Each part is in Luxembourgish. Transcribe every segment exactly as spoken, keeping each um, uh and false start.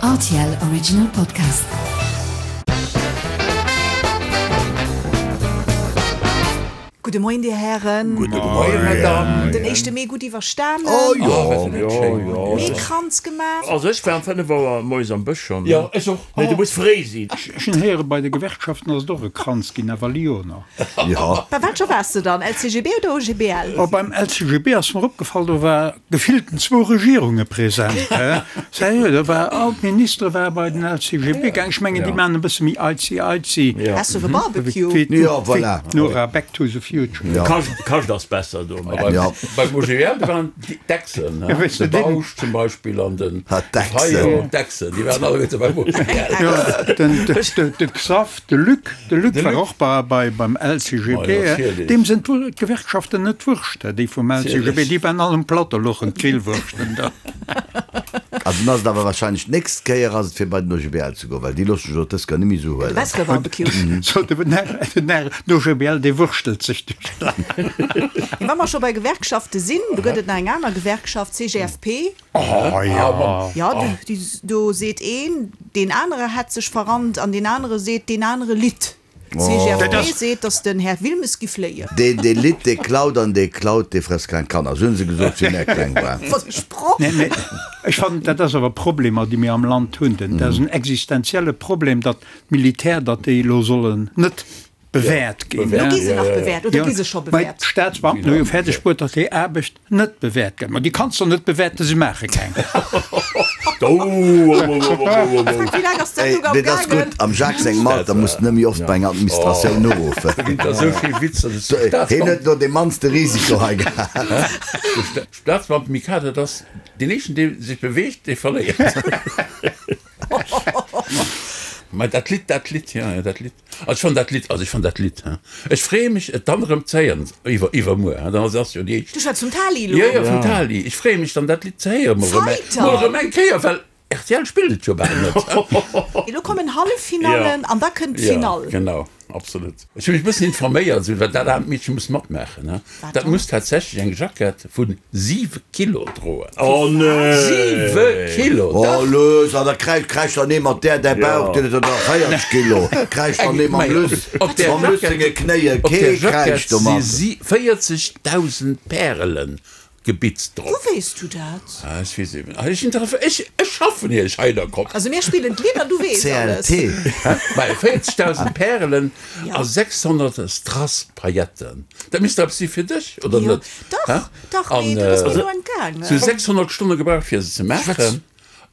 R T L Original Podcast. Gudde Moien, Dir Hären. Gudde Moien, Madame. Den éischte Mee gutt iwwerstanen? Oh jo, jo, jo. Meekranz gemaach? Also ech war um fënnef Auer moies am Bësch schonn. Jo, ech och. Nee, du muss fréi sinn. Ech hunn héieren, bei de Gewerkschaften ass et och e Kranz ginn, awer Lyoner. Jo. Bei welcher waars de dann? L C G B oder O G B L? Oh, beim L C G B ass mer opgefall, do war gefillten zwou Regierunge present. Sérieux, do war all d'Ministere war bei den L C G B gaang. Ech mengen, déi maachen e bësse méi eizi eizi. Hast du e Barbecue? Wéi Ja, voilà. Nora, Back to the Future. Ja. Kascht, kascht ass besser do. Ja. Beim O G B L, do waren d'Dechsen, Ja, weess de du, den- Bausch zum Beispill an den Ah, d'Dechsen. Fayot, d'Dechsen, déi waren alleguerte beim O G B L. Ja, den, de, de, de Xav, de Luc, de Luc De war Luc. och bei, bei, beim L C G B. Oh, ja, natierlech. Deem sinn d'Gewerkschaften net wurscht, déi vum L C G B, Natierlech. déi waren all um Plateau louchen d'Grillwurschten da. Also dann ass et awer wahrscheinlech d'nächst Kéier ass et fir bei den O G B L ze goen, well déi loosse sech och dës gar net méi sou De huelen. bessere Barbecue. So, de, den, den O G B L, dee wurstelt sech duerch d'Land. Wa mer scho bei Gewerkschafte sinn, do gëtt et nach eng aner Gewerkschaft, C G F P. Oh, ja. Ja, du, déi, do seet een, deen anere hätt sech verrannt an deen anere seet, deen anere litt. Dat C G F P ass- seet, datt den Här Wilmes giff léien. Deen, dee litt, dee klaut an dee klaut, dee frësst keng Kanner. Sou hunn se gesot, wéi mir kleng waren. Wat e Sproch! Nee, nee, ech fannen, dat ass awer Problemer, déi mir am Land hunn. Denn dat ass en existenzielle Problem, datt d'Militär, datt déi elo sollen net bewäert ginn. Lo Bewäert. gi se nach Ja, ja, ja. bewäert oder gi se scho Mä bewäert? d'Staatsbeamten hu jo fäerdeg bruet, datt déi Aarbecht net bewäert gëtt. Ma déi kanns du net bewäerten, se maache keng. Oh, oh, oh, oh, oh, oh, oh. Frank, wéi laang ass Ey, d'Sendung am nee, dat ass gaangen? gutt. Am Jacques sengem Alter muss net méi oft bei enger Administratioun uruffen. Da ginn der sou vill Witzer. Das Hien huet Staatsbeamten, no de mannste Risiko hei gehat. Staatsbeamten Mikado, dat ass deen éischten, dee sech beweegt, dee verléiert. Mä dat Lidd, dat Lidd, ja, ja, dat Lidd. Also ech fannen dat Lidd, also ech fannen dat Lidd, hä. Ech freeë mech, et dann erëm ze héieren, iwwer, iwwermuer, hä, dann ass ass jo déi éischt. Du schwätz vum Tali elo. Ja, ja, vum Tali. Ech freeë mech dann, dat Lidd ze héieren, mol erëm eng, Weiter. mol erëm eng Kéier, well R T L spillt et jo bal net. Elo kommen Halleffinallen an da kënnt Ja, d'Finall. genau, absolut. Ech hu mech e bëssen informéiert, esou, well dat aarmt Meedche muss matmaachen, hä. Wat Dat dann? muss tatsächlech eng Jackett vu siwe Kilo droen. Oh nee. Siwe Kilo, Oh, dach! lues, an da kräischt, kräischt dann ee mat där, däi Ja. Bauch, deen huet dann nach véierzeg Kilo. Kräischt dann ee mam Luss, Op där mam Luss Jackett, senge Knéie, op kee där Jackett kräischt si domat. si véierzegdausend Pärelen gebitzt drop. Wou weess du dat? Ah, ech weess eben. Ah, ech interef ech, ech schaffen hier, ech hei der Kopp. Also mir spillen d'Lidd an du weess alles. C L T. Bei véierzegdausend Pärelen Ja. a sechshonnert Strass-Pailletten. Dat misst eppes si fir dech, oder Jo, net? dach, Hä? dach, An, mee dat ass mir äh, elo entgaangen. Sou sechshonnert Stonne gebraucht fir se ze maachen.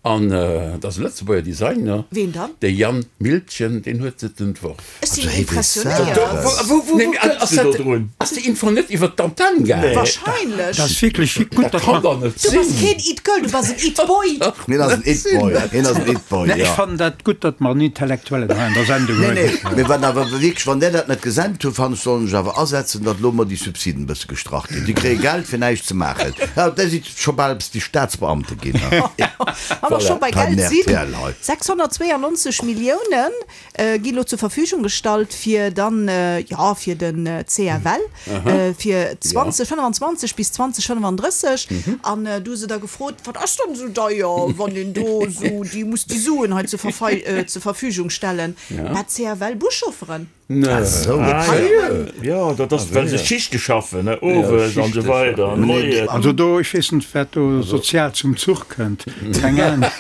An äh, dat ass e Lëtzebuerger Designer. Ween dann? De Jan Miltgen, deen huet et entworf. Ech sinn Also, hey, impressionéiert. Wou, wou, wou Nee, mee kënns ass du do dat, drun? ass déi Info net iwwer d'Antenne gaangen? Nee. Wahrscheinlech. Dat ass wierklech gutt, Dat datt kann mer doch net Du bass sinn. keen It-Girl, du bass en It-Boy. Hien ass en It-Boy. Hien ass en It-Boy, Nee, ech ja. fannen dat gutt, datt mer en Intellektuellen hei an der Sendung Nee, hunn. nee, mee wann awer wierklech, wann der dat net gesent huet, fannen ech, sollen sech awer asetzen, datt lo mol déi Subsiden e bësse gestrach ginn. Déi kréie Geld fir näischt ze maachen. Ja, dat si scho bal bis déi Staatsbeamte ginn. Wa mer scho bei Bei Geld sinn, R T L hei. sechshonnertzweeanonzeg Milliounen äh, gi lo zur Verfügung gestallt fir dann äh, ja fir den äh, C F L äh, fir zweedausendfënnfanzwanzeg bis zweedausendfënnfandrësseg an äh, du se da gefrot, wat ass dann sou deier, wann een do sou déi muss déi Suen hei zur, Verfei äh, zur Verfügung stellen. Ja. Mä C F L Buschaufferen. Nee. Sou. Ah, ja. Ja, dat ass, well se Schichte schaffen, ne? Owes Ja, an sou Schichte weider. schaffen. Moies. Also do, ech weess net, wat do sozial zum Zuch kënnt. Keng Ahnung.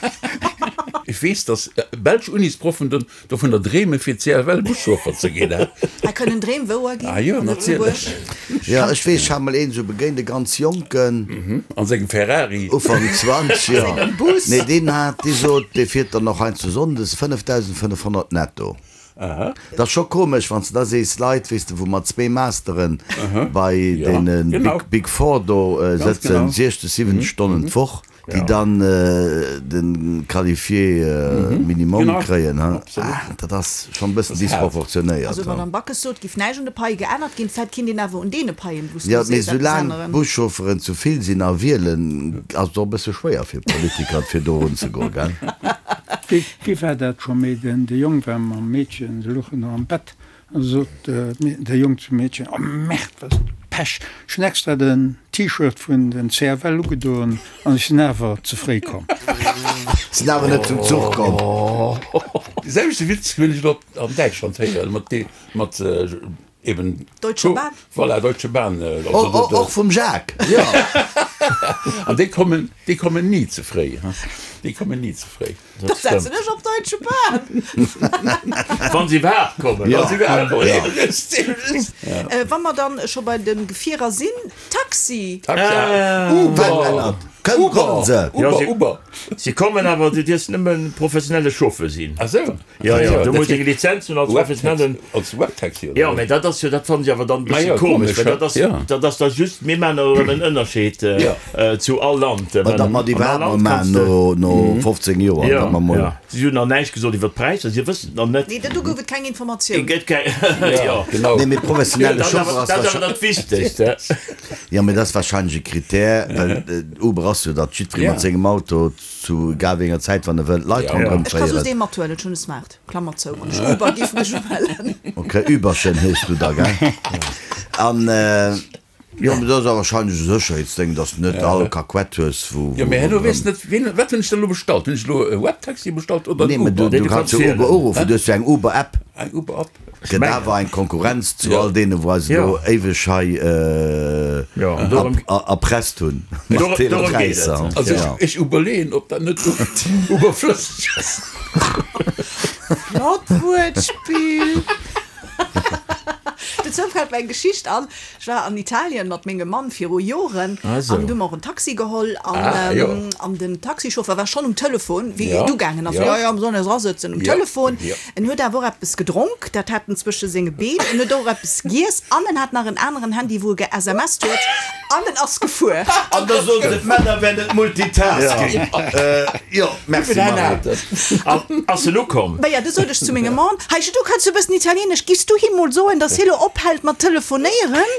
Ech weess, datt äh, belsch Unisproffen dann dovunner dreemen, fir C F L Buschauffer ze ginn. Hä? Da kënnen Dreem wouer ginn Ah jo, an natierlech. Lëtzebuerg. Ja, ech weess, ech hat mol een sou begéint, e ganz Jonken, An sengem Ferrari. Ufank zwanzeg, ja. Sengem Bus. Nee, deen hat, dee sot, dee fiert dann nach heiansdo sonndes fënnefdausendfënnefhonnert netto. Aha. Dat ass scho komesch, wann s du da sees, Leit, weess de, wou mat zwee Masteren bei Ja, deene genau. Big, Big Four do äh, Ganz sëtzen, genau. siechzeg, siwwenzeg Stonnen d'Woch, déi dann äh, den qualifié äh, Minimum Genau. kréien. Hä? Absolut. Ah, dat ass schonn e bëssen Das ist hart. disproportionéiert. Also hä? Madame Backes sot, giff näischt un de Paie geännert ginn, vläicht kinnt een awer un deene Paien, wou s du Ja, mee sees, eppes soulaang änneren. Buschaufferen zu vill sinn a wielen, ass et och e bësse schwéier fir Politiker, fir do erunzegoen, gell? Wéi, wéi war dat scho méi? Den, de Jong war mam Meedchen, se louchen nach am Bett, an sot äh, de Jong zum Meedchen, oh Merde, wat Pech. Ech hunn extra den T-Shirt vun den C F L ugedoen an ech sinn awer ze fréi komm. Sinn awer net zum Zuch komm. De selwechte Witz hunn ech elo an Däitschland héieren, mat dee, mat eben. Deutsche Bahn. Voilà, Deutsche Bahn. Och vum Jacques, jo. An déi kommen, déi kommen ni ze fréi, déi kommen ni ze fréi. Da setzen ech op Deutsche Bahn. Wann se iwwerhaapt kommen. Wann se iwwerhaapt kommen, ja. Just. Wa mer dann scho bei de Gefierer sinn, Taxi. Taxi, Uber. Kënn, kommen se. Uber, Uber. Si kommen, awer du dierfs nëmme professionelle Chauffeur sinn. Ah sou. Jo, jo, du muss eng Lizenz hunn als professionellen. Als Webtaxi, oder? Jo, mä dat ass jo, dat fannen ech awer dann e bësse komesch, well dat ass, dat ass da just, mir maachen da erëm en Ënnerscheed zu all Land. Mä datt mer déi iwwerhaapt mol maachen no, no fofzéng Joer, datt mer mol. Jo, si hunn nach näischt gesot iwwer d'Präisser, si wëssen et nach net. Nee, do gouf et keng Informatioun. Et gëtt keng, jo. Genau. Nee, mee professionelle Chauffeur ass Dat ass awer dat Wichtegst. Jo, mee dat ass warscheinlech e Krittär, well Uber ass jo, datt jiddweree mat sengem Auto zu egal wéi enger Zäit, wann e wëllt, Leit ronderëm Ech ka soss féieren. ee mathuelen, ech hunn e Smart, Klammer zou, wann ech Uber giff mech umellen. Ok, Uberchen heeschs du da, gell? An jo, mee dat ass awer warscheinlech e Sécherheetsdéng, datt s de net all Kakuett hues, wou. Jo, mee herno weess net, wien, wat hunn ech da elo bestallt? Hunn ech elo e Webtaxi bestallt oder en Nee, mee du, Uber? du kanns jo Uber uruffen, du hues jo eng Uber-App. Eng Uber-App? Gëtt awer eng Konkurrenz zu all deene wou eis elo éiweg hei erpresst hunn mat deene Präisser. Also ech uberleeën ob dat net uberflësseg ass. Flott Wuertspill! Dozou fält mer eng Geschicht an. Ech war an Italien mat mengem Mann viru Joren an du hu mer och en Taxi geholl an an den Taxichauffeur war schonn um Telefon wéi et ugaangen ass. Jo, jo, mer sollen eis erasëtzen um Telefon. En huet awer och eppes gedronk, dat hat en zwësche senge Been. En huet och eppes giess an en hat nach en aneren Handy wou e ge-SMSt huet an en ass gefuer. An da soen se d'Männer wären net Multitasking. Jo, merci Marie. An ass en ukomm? Maja, du sot ech zu mengem Mann, Heische, du kanns jo e bëssen Italieenesch, giffs du him mol soen, dass hie lo ophält mat telefonéieren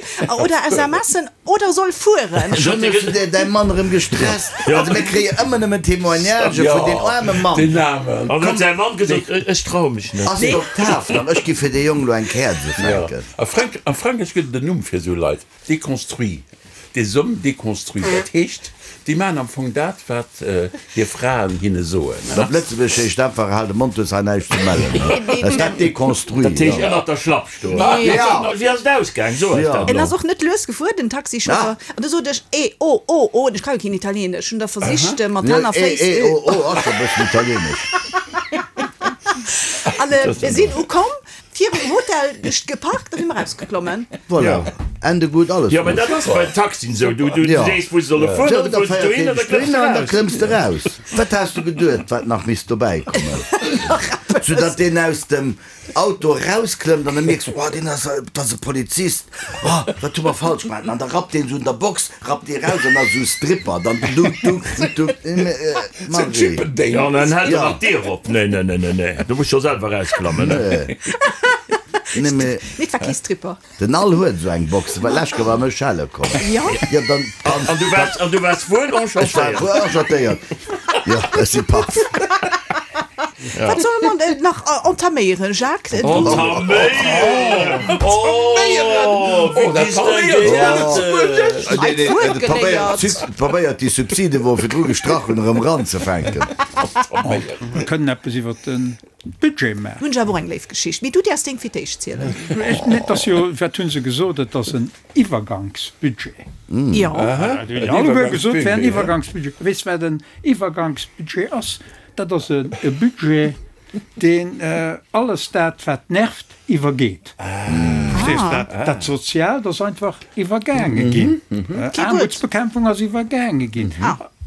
oder SMSen oder soll fueren? Schonn hues du däi Mann erëm gestresst. Also mir kréie ëmmer nëmmen Témoignagë vun deem aarme Mann. Deen aarmen. An huet säi Mann gesot, Ech traue mech net. Ass et Oktav dann? Ech gi fir dee Jong lo eng Käerz ufänken. A Frankräich gëtt et en Numm fir esou Leit, déconstruits. Des hommes déconstruits, dat heescht, déi maachen am Fong dat, wat hir Fraen hinne soen. Op Lëtzebuergesch heescht einfach, Hal de Mond, du hues hei näischt ze mellen. Ass dat déconstruit? Dat heescht ënnert der Schlapp stoen. Wéi ass et ausgaang? So eis dat En elo. ass och net lues gefuer, den Taxichauffeur. An du sot ech, E, o, o, o, ech ka jo keen Italieenesch. Hunn da versicht, mat Hänn a Féiss. E, o, o ass scho e bëssen italieenesch. An mir sinn ukomm. Virum Hotel geparkt a si mer rausgeklommen. Voilà, Ende gut, alles Jo, mä gut. dat ass bei Taxien esou. Du, du Ja. sees, wou se solle fueren, Sou, an da da fuers du féiert dohin deen an da dech klëmms dohin de an da raus. klëmms de raus. Wat has du geduet, wat nach misst dobäi kommen? Soudatt deen aus dem Auto rausklëmmt an da mierks du, oh, deen ass, dat ass e Polizist, oh, wat hu mer falsch gemaach? An da rappt deen esou un der Box, rappt dee raus an ass esou Stripper, dann du, du, du, Margie. Chippendales. Jo, an dann hält Ja. en nach d'Dier op. Nee, nee, nee, nee, nee, du muss scho selwer rausklammen. Nee. Nee, mee Nee, et war kee Stripper. den Al huet esou eng Box, well lech war mech schelle komm. Jo. Ja, dann, dann, An du waars, an du waars wuel ech war enchantéiert. wuel enchantéiert. Jo, ech si paff. Wat solle mer denn nach entaméieren, Jacques? Du. Entaméieren! Oh, wéi Oh, dat distinguéiert! Nee, nee, Wuert de probéiert, geléiert. probéiert déi Subside, wou e virdru gestrach hunn, erëm eranzefänken. Mer kënnen eppes iwwer de Budget maachen. Hunn ech awer och eng léif Geschicht. Mee du däerfs deng fir d'éischt zielen. Ech, nee, et ass jo, wat hu se gesot, et ass en Iwwergangsbudget. Jo. Dat hunn alleguer gesot, et wär en Iwwergangsbudget. Weess wat en Iwwergangsbudget ass? Dat ass e Budget, deen alles dat, wat nervt, iwwergeet. Verstees du? Dat, dat Soziaalt ass einfach iwwergaange ginn. Aarmutsbekämpfung ass iwwergaange ginn.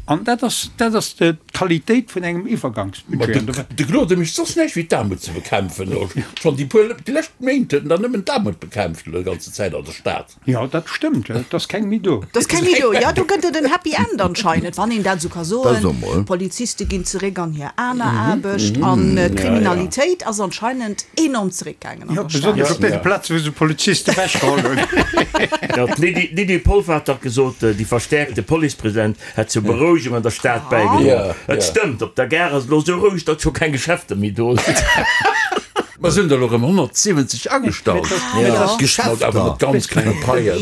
An dat ass, dat ass d'Qualitéit vun engem Iwwergangsbudget. De Claude mécht soss näischt wéi d'Aarmut ze bekämpfen. Schonn déi puer, déi lescht Méint huet en dann nëmmen d'Aarmut bekämpft elo déi ganze Zäit an der Stad. Jo, dat stëmmt, et ass keng méi do. Et ass keng méi do. Jo, do gëtt et en Happy End anscheinend, wann een dat esou ka Dat soen. so mol. D'Poliziste ginn zeréck an hir aner Aarbecht an d'Kriminalitéit ass anscheinend enorm zeréckgaangen an Jo, der Stad. besonnesch op deene Plaze wou se Poliziste ewechgeholl hunn. Jo, d'Lydie, d'Lydie Polfer hat dach gesot, déi verstäerkte Policepresenz hätt zur Berouegung an der Stad bäigedroen. Ja, Et ja. stëmmt, op der Gare ass et elo esou roueg, datt scho keng Geschäfter méi do sinn. Mer sinn der elo erëm honnertsiwwenzeg agestallt. Geschäfter. Awer mat ganz klenge Paien.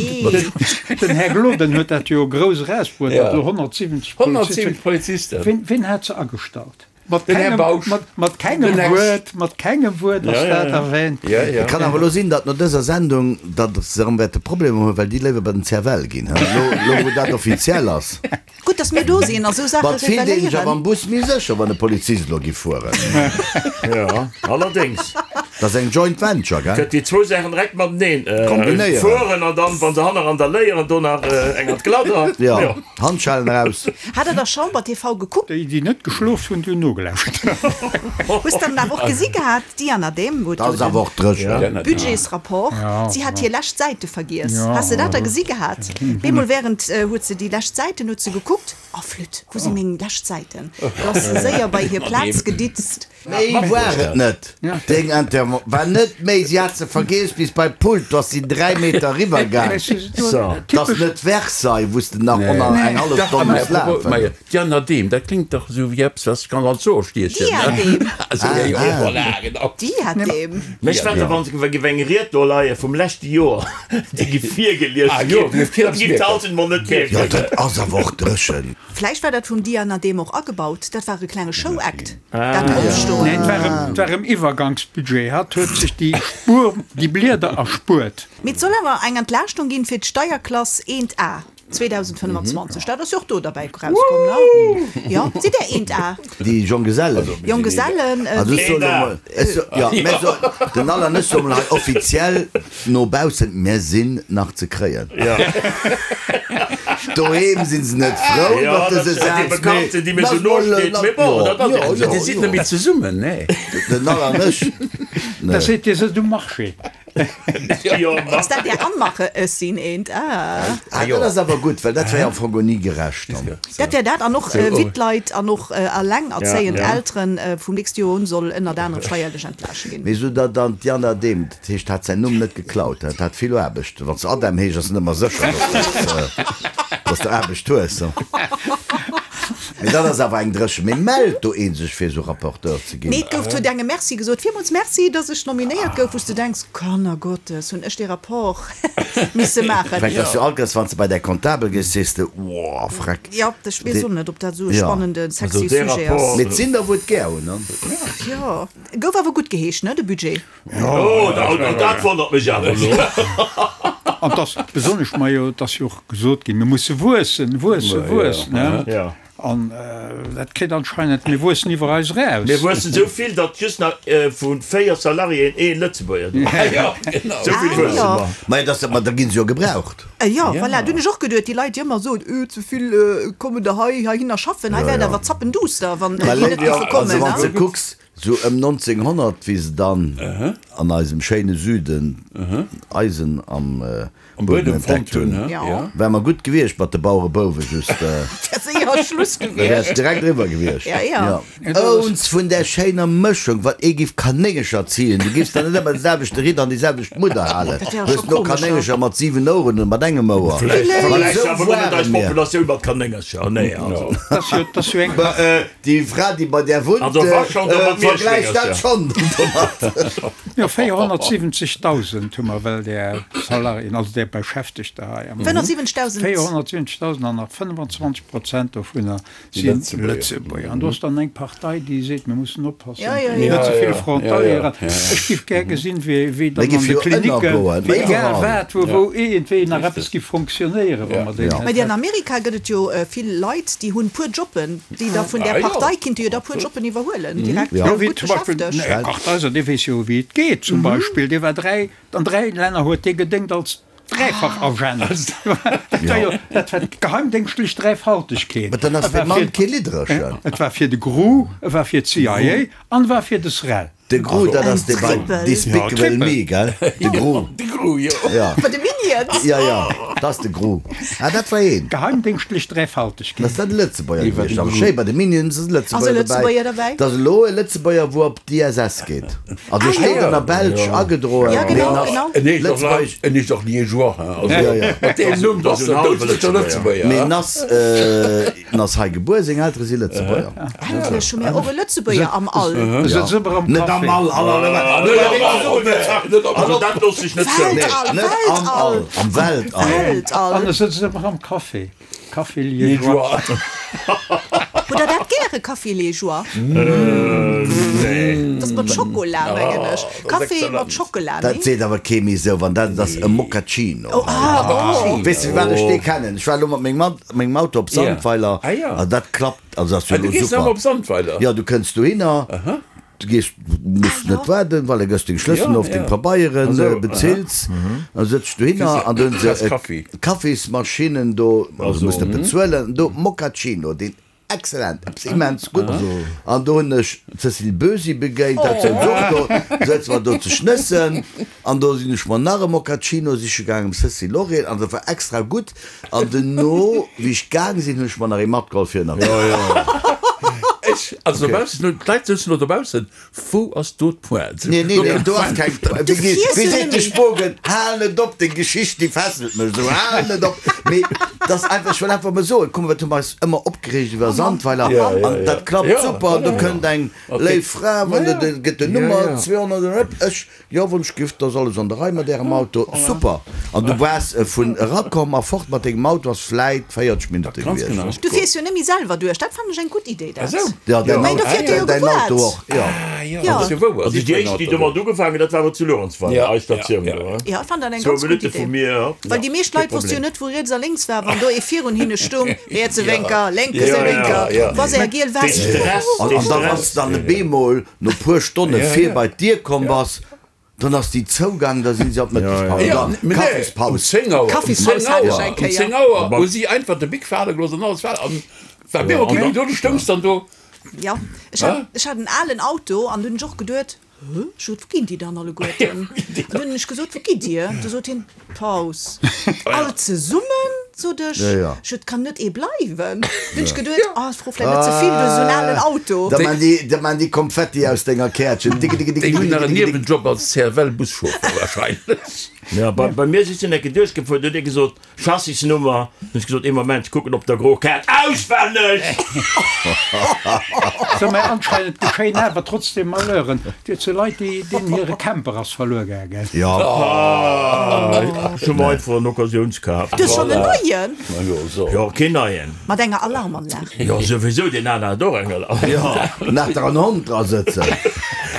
Den Här Gloden huet dat jo grouss erausbruet, datt elo honnertsiwwenzeg Honnertsiwwenzeg Polizisten. Wien, wien hat se agestallt? Mat Den Här kengem, Bausch. mat, mat kengem Den Ex. Wuert, mat kengem Wuert ass dat erwähnt. Ja, ja. Et kann awer elo sinn, datt no dëser Sendung, datt se erëm wäerte Problemer hunn, well déi léiwer bei den C F L ginn, elo, elo wou dat offiziell ass. Gutt, dass mir do sinn a sou Saache Mat fillt een sech awer reveléieren. am Bus méi sécher, wann e Polizist elo giff fueren. Ja, allerdéngs. Dat ass eng Joint Venture, gell? Gëtt déi zwou Saachen direkt mateneen Kombinéieren. fueren an dann, wa se hanner an der léieren, do nach eng an d'Gladder. Jo, Handschellen eraus. Hat der da Chamber T V gekuckt? Déi, déi net geschlof hunn, déi hunn nogelauschtert. Hues dann awer och gesi gehat, d'Diana Dehm huet Dat jo ass awer den och dréchen. Budgetsrapport, si hat hir lescht Säite vergiess. Has de dat da gesi gehat? Bemol während huet se déi lescht Säiten huet se gekuckt, Oh flütt, wou si meng lescht Säiten? Du ass se séier bei hir Plaz geditzt. Méi war et net. Deng Inter war net méi, si hat se vergiess bis bei d'Pult, du ass si dräi Meter eriwwer gaang. Dat ass net Versailles, wou s de nach ënner eng hallef Stonn muss lafen. Diana Dehm, dat kléngt dach esou wéi eppes, wat sech kann als Soe stiechen. Diadem. Also, ja, jo, voilà, genau. Diadem. Mech wat der, wann se géif eng Ried do leie vum leschte Joer, déi géif virgelies Ah, jo, ginn, géif dat géif d'Alten mol net Jo, mierken. dat ass awer och dréchen. Vläicht war dat vum Diana Dehm och agebaut, dat war e klenge Show-Act, dat Opstoen. Nee, et war em, et war em Iwwergangsbudget. Hatt huet sech déi Spuer, déi Blieder erspuert. Mee et soll awer eng Entlaaschtung ginn fir d'Steierklass eent A zweedausendfënnwanzwanzeg. Dat ass jo och do derbäi erauskomm, ne? Jo, sidd Där eent A? Déi Jonggesellen. Jonggesellen, Also ech soen elo mol, ech so, jo, mä so, den Alain, ech soe mol hei offiziell no baussen, Mir sinn nach ze kréien. Doheem sinn se net frou Jo, iwwer dat dëse sinn déi Saz, mee Bekannten, déi mir sou lass no mol, steet, mee bon, jo, dat ass jo, eben jo, esou. Dir sidd net méi zesummen, nee? Den Alain an ech, Da seet Dir sëtzt um Marché. Jo, Ass dat Är Anmache, ech sinn eent A? Ah, dat ass awer gutt, well dat wär am Fong och ni gerecht dann. Dat wär dat, an och Wittleit an och allengerzéiend Ja, ja. Elteren vum nächste Joer un soll ënnert anerem steierlech entlaascht ginn. Mee sou datt dann d'Diana Dehm, dat heescht, hat säin Numm net geklaut, dat hat vill Aarbecht. Wann s de Adam heesch, ass et net ëmmer sécher, datt s de Aarbecht hues. Mee dat ass awer eng Dréchen. Mee mellt do ee sech fir esou Rapporteur ze ginn? Nee, et gouf huet engem Merci gesot, villmools Merci, datt ech nominéiert gouf, wou s du denks, Kannergottes, hunn ech dee Rapport misse maachen. Vläicht ass jo alt ganz, wann s de bei däi Comptabel gees, sees de, Woah, freck. Jo, ech weess och net, ob dat esou e Ja. spannenden, sexy Also dee Sujet ass. Rapport. Mee et sinn der, wou et gär hunn, ne? Jo, gouf awer gutt geheescht, ne, de Budget. Oh, dat dat wonnert mech awer elo. An et ass besonnesch, majo, et ass jo och gesot ginn, mir musse wuessen, wuessen, wuessen, ne? Ja. An dat kritt anscheinend, mir wuessen iwwer eis eraus. Mir wuessen esou vill, datt just nach vu véier Salariéen ee Lëtzebuerger do ass. Ja, genau. Esou vill wuesse mer. Majo, dass, ma da ginn se jo gebraucht. Jo, voilà, do hunn ech och geduet, déi Leit, déi ëmmer soen, öh, ze vill kommen der hei heihinner schaffen, hei wär et awer zappenduster, wann déi net géife kommen. Also wann s de kucks, sou ëm nonzénghonnert, wéi se dann an eisem schéine Süden Eisen am Buedem entdeckt hunn, wär mer gutt gewiescht mat de Bauerebouwe, just Wär séier Schluss da wär gewiescht. et direkt eriwwer gewiescht. Ja, ja. Ouns vun där schéiner Mëschung, wat ee giff Kanéngercher zielen, du giffs der net ëmmer de selwechte Ritt an déi selwecht Mudder halen. Dat wär Du scho hues no komesch, ja. Kanéngercher mat siwen Oueren oder mat engem Ouer. Vläicht An vergläichs esou de awer elo net ware eis mir. Populatioun mat Kanéngercher, nee, also. Dat ass jo, dat ass jo eng. Bah, déi Fra, déi bei där wunnt, Also wa schonn, da mat vergläicht dat Mierschwéngercher. schonn domat. Jo, véierhonnertsiwwenzegdausend hu mer well där Salariéen, also där Beschäftegter hei am. fënnefundsiwwenzegdausend. véierhonnertsiwwenzegdausend an nach fënnwanzwanzeg Prozent dovunner si Lëtzebuerger. An do ass dann eng Partei, déi seet, mir mussen oppassen, Ja, ja, ja. net ze vill Ja, ja, Frontalieren. ja, ja. Ech géif gär gesinn, wéi, wéi Mir dann an géif de jo Klinicken, ënnergoen, wéi egal iwwerall. wat, wou, wou iergendwéi nach eppes géif fonctionnéieren, wa mer déi Ja. net Mä an hätten. Amerika gëtt et jo vill Leit, déi hunn puer Jobben, déi da vun där Ah, jo. Partei kinnte jo da puer Jobben iwwerhuelen, direkt Ja. Jo, wéi gutt zum Beispill den beschäftegt. Här Kartheiser, dee weess jo, wéi et geet, zum Beispill. Dee war dräi, an dräi Länner huet dee gedéngt als Dräifach-Agent. Dat war jo, dat war d'geheimdéngschtlech Dräifaltegkeet. Mä dann ass E war dee Mann fir- kee Liddrechen. Et war fir de G R U, e war fir d'C I A an e war fir de S R E L. De G R U, dat ass dee bei Trippel. Despicable Ja, Me, gell? De G R U. De G R U, jo. Ja. Bei de Minions. Ja, ja. Dat ass de Gru. Ah, dat war een. Geheimdéngschtlech Dräifaltegkeet. Ass dat e Lëtzebuerger gewiescht? Awer schéi, bei de Minions ass e Ass e Lëtzebuerger Lëtzebuerger dobäi. dobäi? Dat ass elo e Lëtzebuerger, wou op d'ISS geet. Also e steet an der Belsch agedroen, Ja, mee genau, en ass genau. En heescht och, Lëtzebuergesch. en heescht och Liégeois, hein. Also, Ja, ja. mat deem Numm, dat ass en hallwe doudsécher Lëtzebuerger. Lëtzebuerger, Mee hein. en ass, en ass hei gebuer, seng Eltere si Lëtzebuerger. Endlech hu mir och e Lëtzebuerger am All. E sëtzt ëmmer am Net am Café. All, all, all, all, Net am All, net am Also All. dat looss ech net zou. Weltall, Net am All, Weltall. am Weltall. Weltall. An e sëtzt ëmmer am Café. Café Liégeois. Liégeois. Hutt der dat gäre, Café Liégeois? Nee. Dat ass mat Schokola, mengen ech. dat ass Café exzellent. mat Schokola, Dat nee? seet awer kee méi esou, wann dat ass e Moccacino. Oh, ah, oh. Weess de, firwat ech dee kennen? Ech war elo mat mengem mengem Auto op Sandweiler Ah, ja. an dat klappt, also ass jo Ah, du elo gees awer super. op Sandweiler? Ja, du kënns dohinner, du gees, muss net waarden, well da gëss deng Schlësselen Ja, of deng ja. Pabeieren, Also, bezills, da sëtz dohinner an do hunn se Kriss Kaffi. Kaffismaschinen do, also muss net bezuelen, do Moccacino, deen excellent, eppes immens gutt. An do hunn ech d'Cécile Bösi begéint, dat sou och do, sëtze mer do ze schnëssen an do sinn ech mer nach e Moccacino siche gaangen um Cécile Lorraine an dat war extra gutt. An duerno, wéi ech gaang sinn, hunn ech mer nach ee matgeholl fir nach. Ech, also dobaussen, d'Leit sëtzen elo dobaussen, wou ass do d'Pointe? Nee, nee, nee, do ass keng Pointe. Du Wéi fiers jo seet de net méi. Spogen, hal net op, deng Geschicht, déi fesselt mech esou, hal net op. Mee dat ass einfach, ech wëll einfach mol soen, kuck mol, wat hu mer eis ëmmer opgereegt iwwer Sandweiler Ja, ja, an ja. dat klappt Ja, super, an do kënnt eng léif Fra, wann de, de gëtt den Nummer zweehonnert an ep, ech, jo, wann ech giff, dat ass alles an der Rei mat Ärem Auto, super. An du waars vun erakomm a fort mat dengem Auto ass vläit véierzeg Minutte Ganz gewiescht. genau. Du fiers jo net méi selwer duerch, dat fannen ech eng gutt Idee, dat. Ah, sou. Ja, däin Mä do fiert Dir jo däin gewaart. Auto och, jo. Ah, ja, Ja. dat ass jo wouer. Also déi éischt, déi domat ugefaangen, dat war awer zu Luerenzweiler, Ja, eis Statioun ja, do, ja. hein? Ja, ech fannen dat eng Zwou ganz gutt Minutte Idee. vu mir. Well déi meescht Leit wosste jo net, wou riets a lénks war, wann do ee virun hinne stoung, rietse Wénker, lénke Ja, ja, Wénker, ja. wa se är giel Dee West. Stress, An, dee an da wann Stress. s dann e bemol no puer Stonne Ja, vir ja. bei d'Dier komm bass, dann ass déi zougaang, da sinn se op d'Mëttespaus, Ja, oder nee, um Kaffispaus. zéng Auer, um Kaffispaus zéng hat ech Auer, eng um Kéier. zéng Auer hu si einfach de Bic fale gelooss an alles war an war mir okay, do du stoungs dann do. Ja, ech hat, ech hat en alen Auto an du hunn ech och geduet, Hä, ech sot, wou ginn déi dann alleguerten? An dunn hunn ech gesot, wou gitt Dir? Du sot hien, Paus. All zesummen? Sot ech. Ja, ja. Ech sot, kann net ee bleiwen? Dunn hunn ech geduet, ah, ech fro vläicht net ze vill, du hues esou en alen Auto. Da man déi, da man déi Konfetti aus denger Käertchen. Dicke, dicke, dicke, Déi hunn dicke, nach en dicke, dicke. Niewenjob als C F L-Buschauffer wahrscheinlech. Ja, bei, bei mir si se eng Ecke duerchgefuer, du huet ee gesot, Chassisnummer. Hunn ech gesot, ee Moment, ech kucken op der Gro-Kaart auswenneg! So, mä anscheinend geschéien awer trotzdem Malheuren. Dir zu Leit, déi, deenen hire Camper ass verluer gaangen. Ja. Ech hu mer einfach en Occasionskaf. Du hues schonn en neien? Ma jo, so. Jo, keen neien. Mat enger Alarmanlag. Jo, souwisou, deen aner hat och eng Alarm. Ja, nach der en Hond dra sëtzen.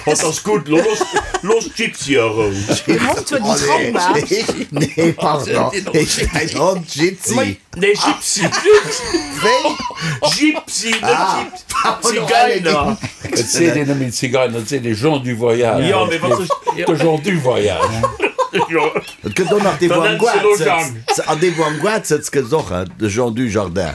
Hatt ass gutt, lo looss, looss d'Gypsy a Rou. Den Hond huet en Trauma. Nee, pardon, heescht däin Hond Gypsy? Nee, Gypsy. Wéi? Gypsy, net Gypsy. Zigeiner. Et seet een net méi Zigeiner, et seet ee Gens du voyage. Jo, mee wat soll De Gens du voyage. Jo. Et gëtt och nach dee, wou Dann am nenns de Goart lo sëtzt. Jang. An dee, wou am Goart sëtzt, gëtt et och, hein, de Jean du Jardin.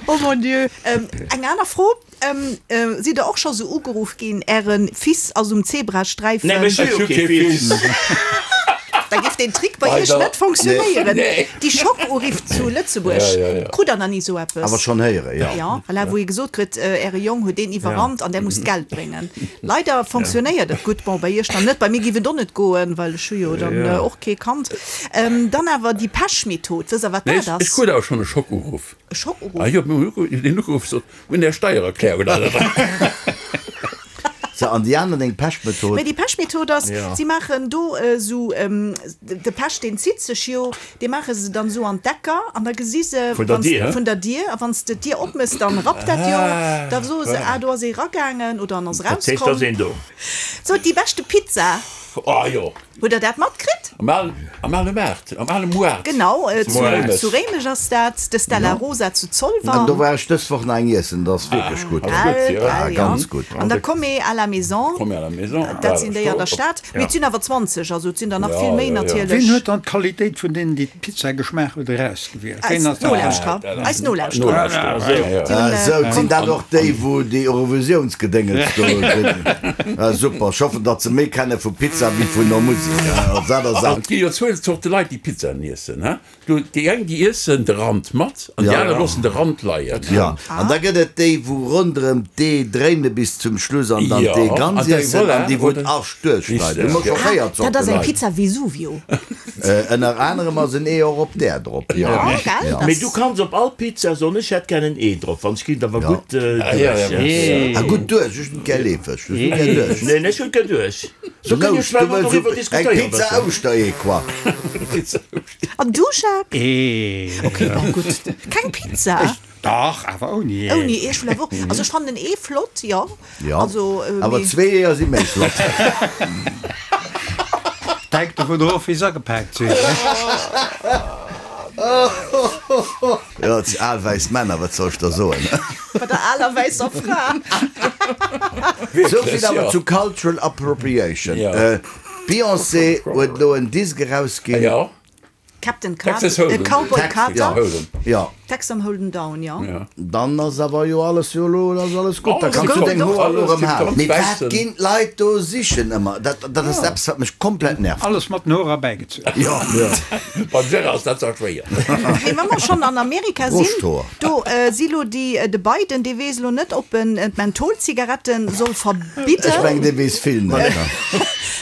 Oh mon Dieu. Ähm, eng aner Fro, ähm, äh, sidd der och scho sou ugeruff ginn, Äre Fils ass um Zebrasträifen? Nee, mee ech hu jo kee Fils. Da géif deen Trick bei Iech Leider. net funktionéieren. Nee. Déi Schockuriff zu Lëtzebuerg, Ja, ja, ja. krut der nach ni sou eppes? Awer schonn héieren, jo. Ja, voilà, wou ee gesot kritt, äh, Äre Jong huet deen iwwerrannt an där muss d'Geld bréngen. Leider funktionéiert et gutt. Bon, bei Iech dann net, bei mir géif et och net goen, well ech hu jo dann äh, och kee Kand. Ähm, dann awer déi Pechmethod, wësst der, wat Nee, dat ech, ech ass? krut awer schonn e Schockuruff. E Schockuruff? Ah jo, mir hunn den ugeruff, sot, hunn Är Steiererklärung oder wat? So, an déi aner deng Pechmethod? Mä déi Pechmethod ass, si maachen do esou, de Pech deen zitt sech jo, dee maache se dann esou an d'Ecker an da gesi se, Vun der Dier, vun der Dier, a wann s de d'Dier opmëss, dann rappt dat jo, da soe se, ah do ass ee ragaangen oder en ass Dat heescht, da ass erauskomm. een do. Sou, déi beschte Pizza. Ah jo. Hutt der dat matkritt? Am alen, am ale Maart, am ale Moart. Genau, zu, Réimech. zu Réimech ass dat, de Stella Rosa zu Zolwer. An do war ech dës Woch nach eng iessen, dat ass wierklech gutt. Ass gutt, ja. Ah, ja. ganz gutt. An der Comé à la Maison. Comé à la Maison. Dat sinn déi an der Stad. Mee et sinn awer zwanzeg, also et sinn der nach Ja, vill méi ja, ja. natierlech. Ween huet dann d'Qualitéit vun deenen, déi d'Pizza geschmaach huet, erausgewielt? Eis Ween ass dat? Nolauschterer. Eis Nolauschterer. Nolauschterer, ja, ja. Déi hunn, Ah, sou, sinn dat och déi, wou déi Eurovisiounsgedéngels do sinn? Ah, super. Ech hoffen, datt se méi kenne vu Pizza Pizza wéi vun der Musek. Dat ass Et gi jo zwou Zorte Leit, déi Pizzaen iessen. Do déi eng, déi iessen de Rand mat an déi aner loossen de Rand leien. Jo, an da gëtt et déi, wou ronderëm d'Ee dréine bis zum Schluss an dann d'Ee ganz iessen an déi, wou d'Ascht duerchschneiden. Hu mer scho véier Zorte Leit. Dat ass eng Pizza Vesuvio. Ënner anerem ass en Ee och op där drop, jo. Mee du kanns op all Pizza soen, ech hätt gär en Ee drop, wann ech ginn et awer gutt duerch. Ah, gutt duerch? Ech hunn et gär leefeg. Du hues et gär duerch? Neen, ech hunn et gär duerch. Du wëlls eng Pizza Ouschteree, quoi. An du, Jacques? Ee. Ok, bon, gutt. Keng Pizza? Dach, awer ouni Ee. Ouni Ee, ech wëll awer och. Also ech fannen en Ee flott, jo. Jo, Also, awer mee. zwee Eeër si méi flott. Hänkt dovun of, wéi se agepaakt sinn. Jo, et si al wäiss Männer, wat soll ech der soen? Bei der aler wäisser Fra. Sou vill awer zu Cultural Appropriation. D'Beyoncé huet elo en Disk erausginn. Captain Carter, Texas Hold'em. Cowboy Carter. Hold'em. Jo. Texas Hold'em down, jo. Dann ass awer jo alles jo elo ass alles gutt. Da Alles kanns du deng tipptopp, Hoer elo alles erëm halen. tipptopp. Mee wat Wäissen. ginn d'Leit do sichen ëmmer? Dat dat ass eppes wat mech komplett nervt. Alles mat den Hoer erbäigezunn. Jo. Beim Gérard ass dat zwar schwéier. Mee wa mer schonn an Amerika sinn, Broschthoer. do si lo déi, de Biden, dee weess elo net, ob en d'Mentholzigaretten soll Ech mengen verbidden, dee weess vill net.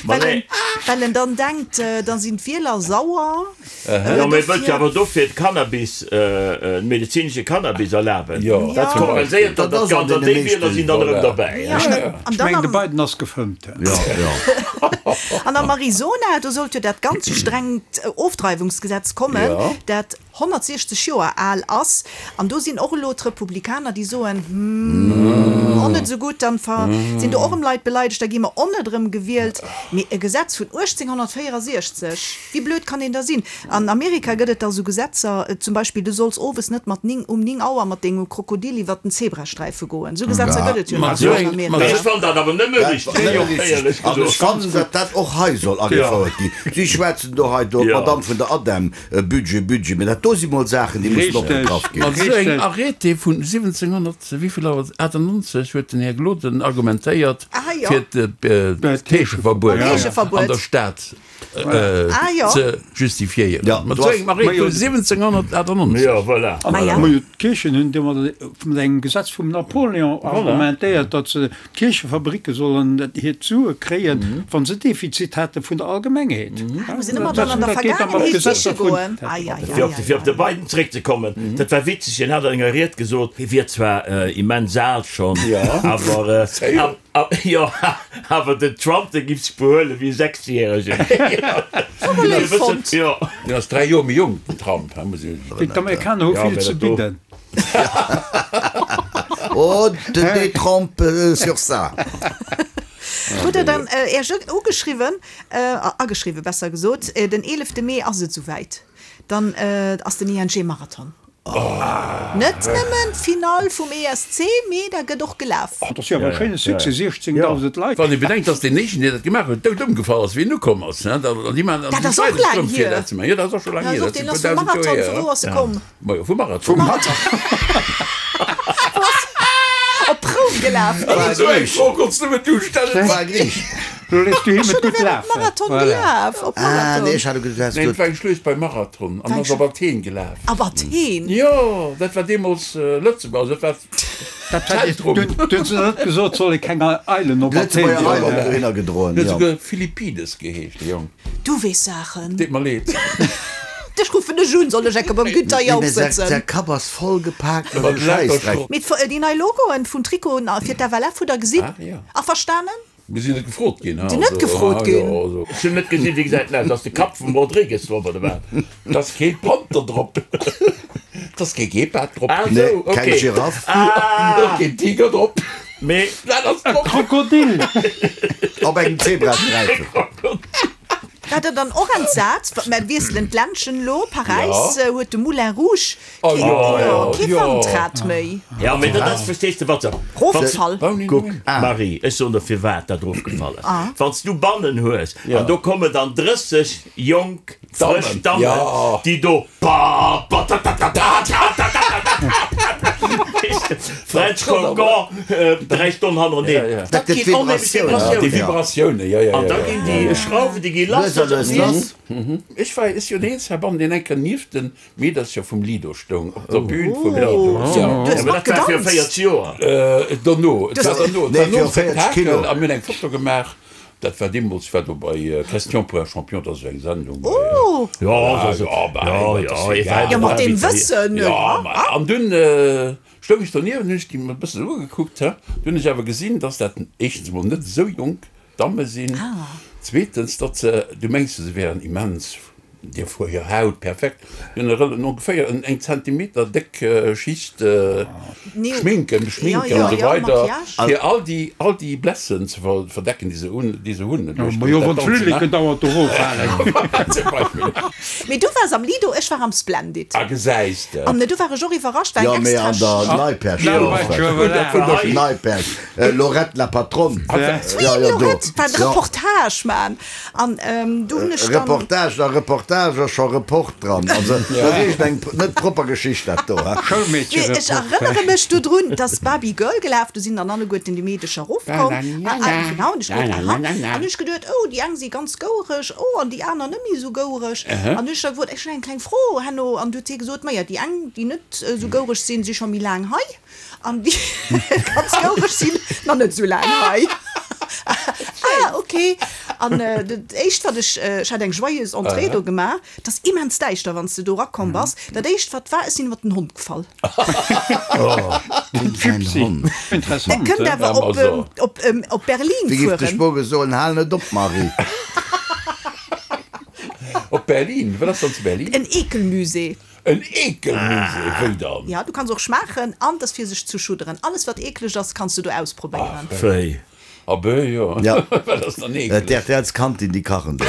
well en, well en dann denkt, da sinn d'Wieler sauer. Jo, mee wëllt jo awer dofir d'Cannabis, de medezinesche Cannabis erlaben. Jo. Dat kompenséiert dann dat Ganzt an déi Wieler sinn dann erëm derbäi. Ja, an Ech dann mengen, de am, Biden ass gefëmmt. Jo, jo. an am Arizona, do sollt jo dat ganz strengt Ofdreiwungsgesetz kommen, Ja. dat honnertsiechzeg Joer al ass. An do sinn och elo d'Republikaner, déi soen, Hm, och net esou gutt, dann ver sinn do och erëm Leit beleidegt, da gi mer och net erëm gewielt. Mee e Gesetz vun uechtzénghonnertvéierasiechzeg, wéi blöd kann een da sinn? An Amerika gëtt et da sou Gesetzer, zum Beispill, du solls owes net mat ning, um ning Auer mat dengem Krokodil iwwert den Zebrasträife goen. Sou Gesetzer gëtt et jo nach Mat an Amerika. Ech fannen dat awer nëmme richteg, éierlech An ech gesot. fannen, datt dat och hei soll agefouert ginn. Si schwätzen do hei do, d'Madame vun der ADEM, Budget, Budget, mee dat do si mol Saachen, déi mussen opgegraff ginn. Mat esou engem Arrêté vun siwwenzénghonnert wéivill awer achtannonzeg huet den Här Gloden argumentéiert fir d'Heescheverbuet an der Stad ze justifiéieren. Mat esou engem Arrêté vun siwwenzénghonnertachtannonzeg. Jo, voilà. Majo, d'Kierchen hunn domadder mat engem Gesetz vum Napoléon argumentéiert, datt se d'Kierchefabricke sollen hiert Sue kréien, wa se Defizit hate vun der Allgemengheet. Muss een ëmmer dann an der Vergaangenheet siche goen. Ai, ai, ai, Fir op, fir op de Biden zréckzekommen, dat war witzeg, hien hat an enger Ried gesot, hie wier zwar immens al schonn, awer, jo, awer den Trump, dee giff sech behuele wéi e Sechsjäregen. Léif fonnt. Jo. Deen ass dräi Joer méi jonk, den Trump, he, muss een. D'Amerikaner hu vill ze bidden. Oh, te détrompe sur ça. Hutt Der dann Äech ugeschriwwen, ageschriwwen besser gesot, den eelefte Mee ass et souwäit, dann ass den I N G Marathon. Net nëmmen d'Finall vum E S C, mee da gëtt och gelaf. Dat ass jo awer e schéine Succès, siechzéngdausend Leit. Wann ee bedenkt, dass deen éischten, deen dat gemaach huet, dout ëmgefall ass, wéi en ukomm ass, an déi maachen Dat ass och laang hier. Jo, dat ass och scho laang hier. Deen ass vum Marathon, vu wou ass e komm? Majo, vum Marathon. Vum Marathon. Op Roum gelaf. Esou eng Fro konns nëmmen du stellen. War Griich. Lo léisst du him Ech et hunn gutt ewell op lafen. Marathon Voilà. gelaf. Op Ah, Marathon. nee, ech hat geduecht, du häss Neen, et gesot. war eng Schluecht bei Marathon an ass op Athen gelaf. Op Athen? Jo, dat war deemools Lëtzebuerg, also dat war Dat hat Zentrum. Dunn hunn se net gesot, soll ee keng Eilen op Athen Lëtzebuerger droen. Eilen dohinner gedroen, Huet jo. souguer Philippides geheescht, de Jong. Du weess Saachen. Deet mer leed. Dech ruffen ech un, soll ech enke beim Günther Nee, Jauch mee säi sëtzen. säi Kapp ass voll gepaakt mat Mat esou lauter Schäissdreck. Schrott. Mee d'Fo- déi nei Logoen vun Trikoten a fir d'F L F hutt der gesinn? Ah, jo. Averstanen? Mir sinn net gefrot ginn. Sinn net gefrot ginn. Ech hunn net gesinn, wéi gesäit en aus? Ass de Kapp vum Rodrigues drop oder wat? Da ass kee Panther drop. Da ass kee Gepard drop. Ah, Nee, sou, keng okay. Giraff. Ah! Och keen Tiger drop. Mee Wat ass drop? Krokodil! Op engem Zebrasträifen. Wat der dann och entsat, mer wiesselen d'Ländchen elo, Paräis huet de Moulin Rouge Oh jo, jo, kee jo. Wandrad méi. Ja, mee dat ass, verstees de, wat se. Rofgefall. Kuck, ah. Marie, ech soen der firwat dat rofgefall ass. Wann s du bannen hues an do kommen dann drësseg jonk, frësch Dammen, Ja. déi do pa pa ta ta ta ta ta ta ta ta ta ta. French Cancan, dräi Stonnen hannereneen. Dat gëtt Vibratioun. Déi Vibratioune, jo, jo, jo. An da ginn déi Schrauwen, déi gi lass. Lues a lues lass. Ech war, ech si jo deen eenzege heibannen, deen eng Kéier nieft de Meedercher vum Lido stoung, op der Bühn vum Lido. Du hues Awer dat war viru matgedanzt? véierzeg Joer. Dono, et war dono, et war Nee, nom viru véierzeg Spektakel Kilo. a mir hunn eng Foto gemaach. Dat war deemools, ech war do bei Question pour un champion, dat ass esou eng Sendung bei. Oh! Jo, Ja, ja, bah, jo, dat ass jo, egal. Jo, mat deem Wëssen, Ja, ja. ma an dunn stoung ech donieft an hunn ech déi e bëssen ugekuckt, he. Dunn hunn ech awer gesinn, dass dat éischtens emol net esou jonk Damme sinn, zweetens, datt se, du mengs se wären immens Dir fuer hir Haut perfekt, hunn e rel ongeféier en eng Zentimeter déck Schicht Schminken, Schminken an esou weider, fir all déi all déi Blessen ze verdecken, déi se un déi se hunn. Majo, wann d'Flilleken dauernd eroffalen. Zum Beispill. Mee du waars am Lido, ech war am Splendid. Ah, gesäis de. An do war ech och iwwerrascht, war Jo, eng mee extra an der Neiperg. Neiperg, Lorette la Patronne. Oui, Lorette war de Reportage man. An do hunn ech dann. Reportage, a Reportage ass scho Report dran. Also dat ass iergend eng net propper Geschicht dat do, he? Mee ech erënnere mech dodrun, dass Barbie Girl gelaf, do sinn dann alleguerten déi Meedecher erofkomm. Genau, an ech geduet, aha. An hunn ech geduet, oh, déi eng si ganz gouereg, oh, an déi aner net méi esou gouereg. An hunn ech da gefrot, ech hunn eng kleng Fro herno. An du huet hie gesot, maja, déi eng, déi net esou gouereg sinn, si scho méi laang hei. An déi ganz gouereg sinn nach net esou laang hei. Ah, ok. An dat éischt, wat ech, ech hat eng joyeuse Entrée do gemaach, et ass immens däischter, wann s de do erakomm bass. Dat éischt, wat war, ech sinn iwwer den Hond gefall. Interessant. E kënnt awer op, op, op Berlin Wéi giff de fueren. Schmoge soen, hal net op, Marie. Op Berlin? Wat ass dann zu Berlin? En Ekelmusée. En Ekelmusée? Wéi dann? Ja, du kanns och schmaachen an et ass fir sech zu schudderen. Alles, wat eekleg ass, kanns du do ausprobéieren. Wéi? Ah ben jo, Ja. wat ass dann eekleg? D'RTL's Kantin, déi kachen do.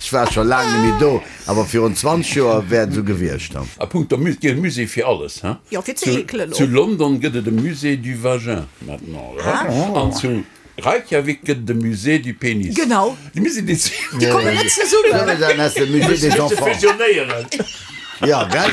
Ech war scho laang net méi do, awer virun zwanzeg Joer wär et esou gewiescht. A punkto Musée, gëtt e Musée fir alles, hein? Jo, fir ze eekelen Zu och. London gëtt et e Musée du vagin maintenant, hein? An zu Reykjavik gëtt et e Musée du pénis. Genau. Déi Musée des. Déi kommen net zesummen. Dann ass de Musée des enfants. Fusionéieren. Ja, gell?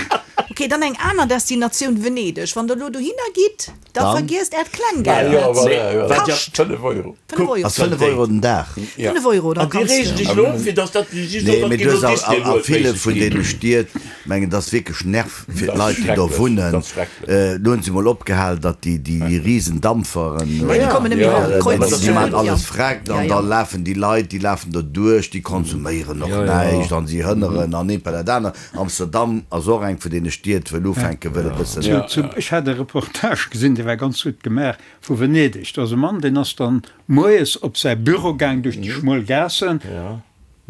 Ok, dann eng aner Destinatioun, Venedeg. Wann der elo dohinner gitt, da vergiesst äert Klenggeld Ah, jo, net. voilà, jo. Kascht Fënnef Euro. fënnef Euro. Ass fënnef Euro den Dag? Fënnef Euro, da An déi kanns reegen de. sech elo op, fir dass dat just Nee, op mee dat du hues a, Disney a, a World ville méiglech vun ginn. deene Stied, mengen, dat ass wierklech Nerv fir Dat ass d'Leit, déi do schrecklech, wunnen. dat ass schrecklech. Äh, do hunn se mol opgehal, datt déi, déi, déi riesen Dampferen, Ja, déi kommen net méi Ja, mat äh, Kreuzzügen, déi maachen ja. alles freck, Ja, an ja. da lafen déi Leit, déi lafen do duerch, déi konsuméieren och näischt an si hënneren an eent bei dat aner. Amsterdam ass och eng vun deene Stied, wou ufänke wëll e bëssen. Zu, zu, ech hat e Reportage gesinn, dee war ganz gutt gemaach, vu Venedeg. Do ass e Mann, deen ass dann moies op säi Büro gaang duerch déi schmuel Gaassen.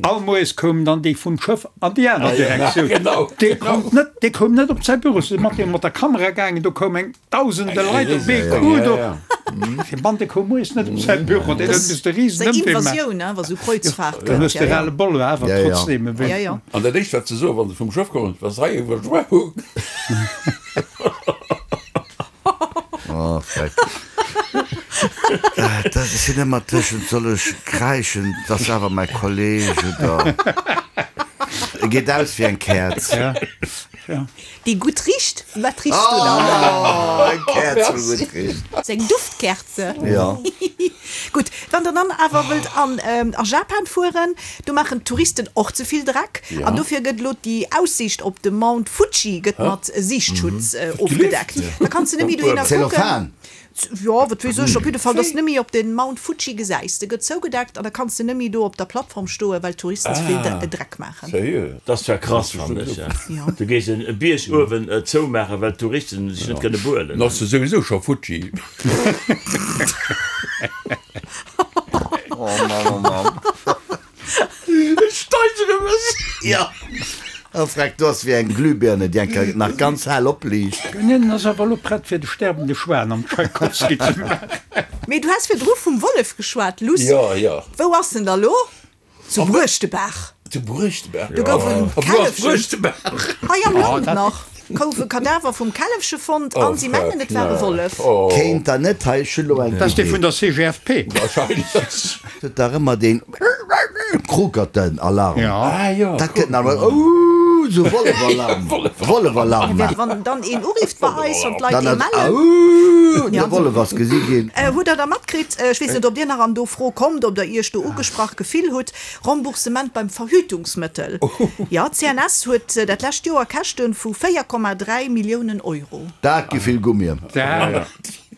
All moies koumen dann déi vum Schëff an déi aner Direktioun. Genau, Dee konnt net, dee koum net op säi Büro. Se si mat deem mat der Kamera gaangen, do koum eng Dausende Leit op ee Coup do. Dee Mann, dee koum moies net op säi Büro, deen huet misste riesen Seng Ëmwee maachen. Invasioun, hein, wa sou Kreuzfahrt Dann gëtt. hues de Ja, ja. ras le bol, awer Ja, ja. trotzdem e Ja, wéi. ja. An dat éischt wat se soen, wa se vum Schëff kommen, Was hei Überschwemmung? Oh, freck. Äh, dat sinn ëmmer tëschent, soll ech kräischen, dat ass awer mäi Kolleg oder. E geet aus wéi eng Käerz. Ja. Ja. Déi gutt richt. Wat riechs du dann? Oh, eng Käerz, wou gutt richt. Seng Duftkerze. Ja. Gutt, wann der dann awer wëllt an, ähm, a Japan fueren, do maachen d'Touristen och ze vill Dreck. Ja. An dofir gëtt elo déi Aussiicht op de Mount Fuji gëtt mat Siichtschutz äh, ofgedeckt. Da kanns de net méi dohinner kucken. Zellophan. Jo, wat weess ech, op jidde Fall, dass de net méi op den Mount Fuji gesäis. De gëtt zougedeckt an da kanns de net méi do op der Plattform stoen, well d'Touristen ze vill Dreck maachen. Sérieux? Dat ass zwar krass, fannen ech. Ja. Du gees en Bierg uewen zoumaachen, well d'Touristen sech net kënne behuelen. Dann ass se souwisou scho futti. Oh Mann, oh Mann. Ech steigere mech! Ja. Oh freck, du ass wéi eng Glühbirne, déi eng Kéier nach ganz hell opliicht. Hien ass awer elo prett fir de sterbende Schwan am Tschaikowski ze maachen. Mee du has virdru vum Wollef geschwat, Luss. Jo, jo. Wou ass en da lo? Zu Bruechtebaach. Zu Bruechtebaach? Do gouf en A wou ass Källefchen. Bruechtebaach? Hei am Land nach gouf e Kadaver vum Källefche fonnt an si mengen et war e Wollef. Kéint der net, hei, ech hunn elo eng Dat ass dee Idee. vun der C G F P. Wahrscheinlech. Huet dach ëmmer deen Krukerten-Alarm. Ja. Ah jo. Dat gëtt nach emol, ouh, esou Wollefalarm. Wollefalarm maachen. Wann dann een urifft bei eis an d'Leit Dann ee ass mellen. Auuuh, de Wollef ass gesi ginn. Hutt Der da matkritt, ech weess net, ob Dir nach an do Fro kommt, ob Der Iech do ugesprach gefill hutt, Remboursement beim Verhütungsmëttel. Jo, d'CNS huet dat lescht Joer Käschte vu véier Komma dräi Milliounen Euro. Dat gi vill Gummien.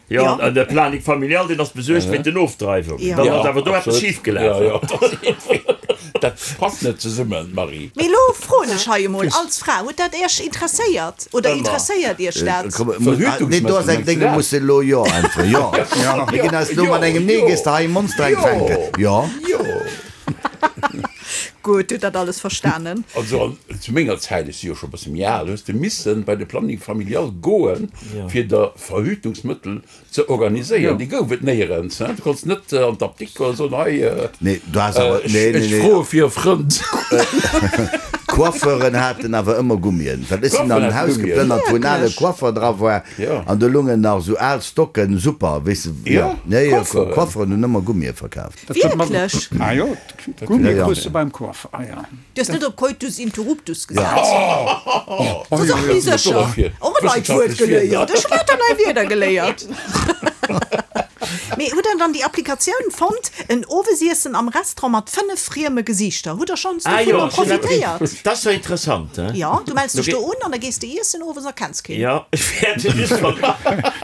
Jo, an de Planning familial, deen ass besuergt wéint den Ofdreiwungen. Dann ass awer do eppes schif gelaf. Dat passt net zesummen, Marie. Mee elo froen ech hei emol als Fra, huet dat Iech interesséiert oder interesséiert Iech dat? Nee, do ass eng Déng, do muss de elo Jo äntweren. Jo. Mir ginn eis elo mat engem Nee, gees de hei e Monster fänken. Jo. Gutt, hutt dat alles verstanen. Also zu menger Zäit, ech si jo scho e bësse méi al, hues de missen bei de Planning familial goen, fir der Verhütungsmëttel ze organiséieren. Déi gouf et néierens. Du konns net an d'Apdikt goen a soen, hei, ech froe fir e Frënd. D'Coiffeuren haten awer ëmmer Gummien. Well ech sinn an en Haus geplënnert, wou en ale Coiffer dra war, an do lungen nach esou al Stocken, super, weess de. Jo, Coiffeuren hunn ëmmer Gummie verkaaft. Wierklech? Ah jo, Gummie krus de beim Coiffer, ah jo. Du hues net op Coitus interruptus gesat? Dat ass och méi sécher. Och en neit Wuert geléiert. Ech hunn lauter nei Wierder geléiert. Mee hutt der dann déi Applikatioun fonnt, en Owesiessen am Restaurant mat fënnef frieme Gesiichter? Hutt der schonns dovunner profitéiert? Dat ass jo interessant, he? Jo, du mells dech do un an da gees de iessen owes a kenns keen. Jo, ech wäerte just mat.